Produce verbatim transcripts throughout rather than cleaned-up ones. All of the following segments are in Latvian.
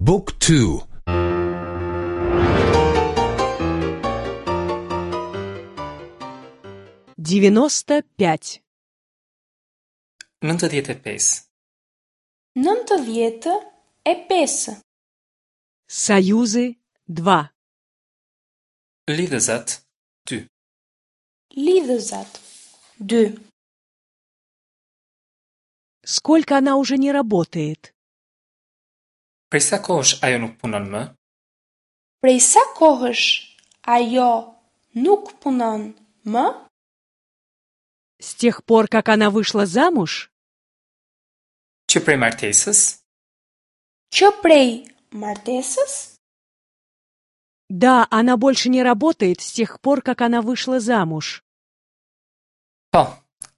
Book two. девяносто пять. nëntëdhjetë e pesë. nëntëdhjetë e pesë. Союзы два. Lidhëzat dy. Lidhëzat dy. Сколько она уже не работает? Prej sa kohësh ajo nuk punon më? Prej sa kohësh ajo nuk punon më? С тех пор, как она вышла замуж? Që prej martesës? Që prej martesës? Да, она больше не работает с тех пор, как она вышла замуж. Po,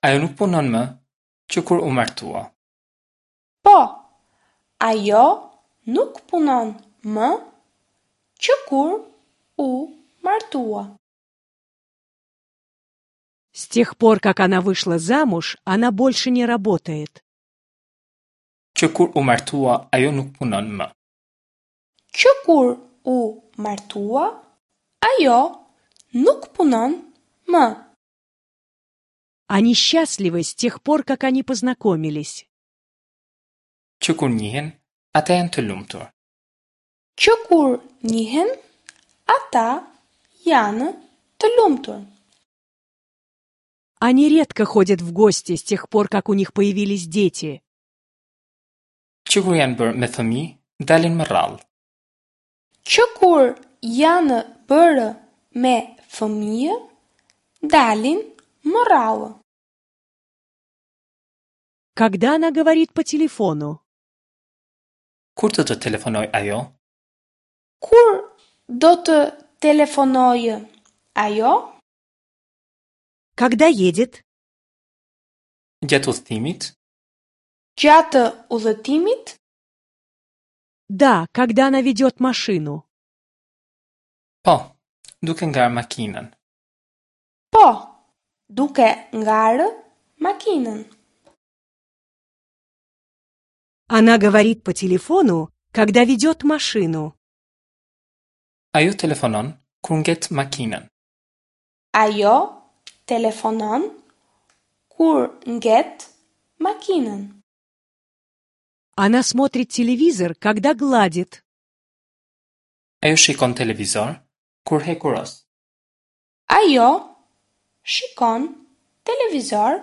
ajo nuk punon më që kur u martua. Po, ajo nuk punon më që kur u martua. С тех пор, как она вышла замуж, она больше не работает. Që kur u martua, ajo nuk punon më. Që kur u martua, ajo nuk punon më. Они счастливы с тех пор, как они познакомились. Që kur njihen, ata janë të lumtur. Që kur njihen, ata janë të lumtur. Они редко ходят в гости с тех пор, как у них появились дети. Që kur janë bërë me fëmijë, dalin më rrallë. Që kur janë bërë me fëmijë, dalin më rrallë. Когда она говорит по телефону? Kur të të telefonoj ajo? Kur do të telefonojë ajo? Когда едет? Gjatë udhëtimit? Gjatë udhëtimit? Да, когда она ведет машину. Po, duke ngarë makinën. Po, duke ngarë makinën. Она говорит по телефону, когда ведет машину. Ajo telefonon kur ngjet makinën. Ajo telefonon kur ngjet makinën. Она смотрит телевизор, когда гладит. Ajo shikon televizor kur hekuros. Ajo shikon televizor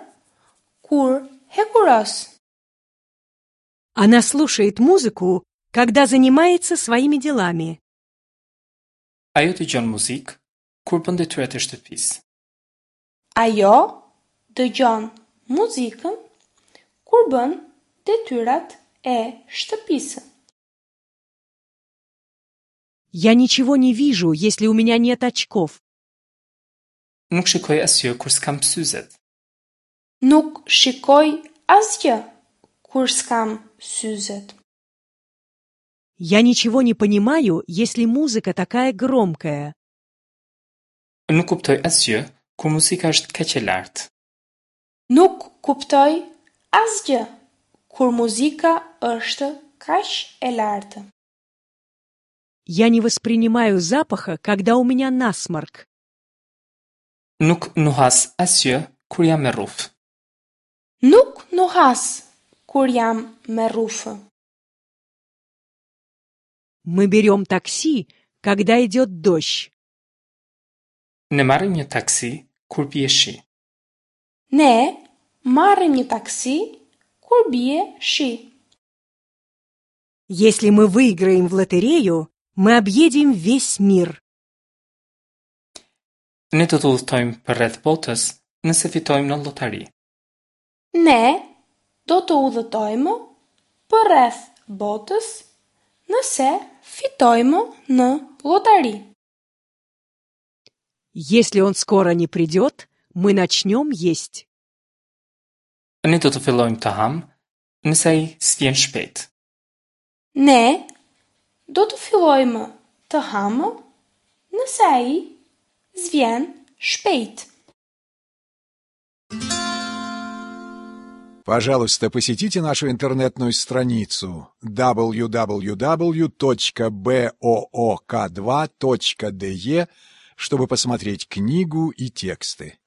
kur hekuros. Она слушает музыку, когда занимается своими делами. Ajo dëgjon muzikë kur bën detyrat e shtëpisë. Ajo dëgjon muzikën kur bën detyrat e shtëpisë. Я ничего не вижу, если у меня нет очков. Nuk shikoj asgjë kur s'kam syzet. Nuk shikoj asgjë kur s'kam syzet. Я ничего не понимаю, если музыка такая громкая. Nuk kuptoj asgjë kur muzika është kaq e lartë. Nuk kuptoj asgjë kur muzika është kaq e lartë. Я не воспринимаю запаха, когда у меня насморк. Nuk nuhas asgjë kur jam me rrufë. Nuk nuhas kur jam me rrufë. Мы берем такси, когда идет дождь. Ne marrim një taksi kur bie shi. Ne marrim një taksi kur bie shi. Если мы выиграем в лотерею, мы объедем весь мир. Ne do të udhtojmë për rreth botës nëse fitojmë në llotari. Ne do të udhëtojmë për rreth botës nëse fitojmë në llotari. Если он скоро не придет, мы начнем есть. Ne do të fillojmë të ham nëse ai s'vjen shpejt. Ne do të fillojmë të hamë nëse ai s'vjen shpejt. Пожалуйста, посетите нашу интернетную страницу дабл ю дабл ю дабл ю точка боок два точка де, чтобы посмотреть книгу и тексты.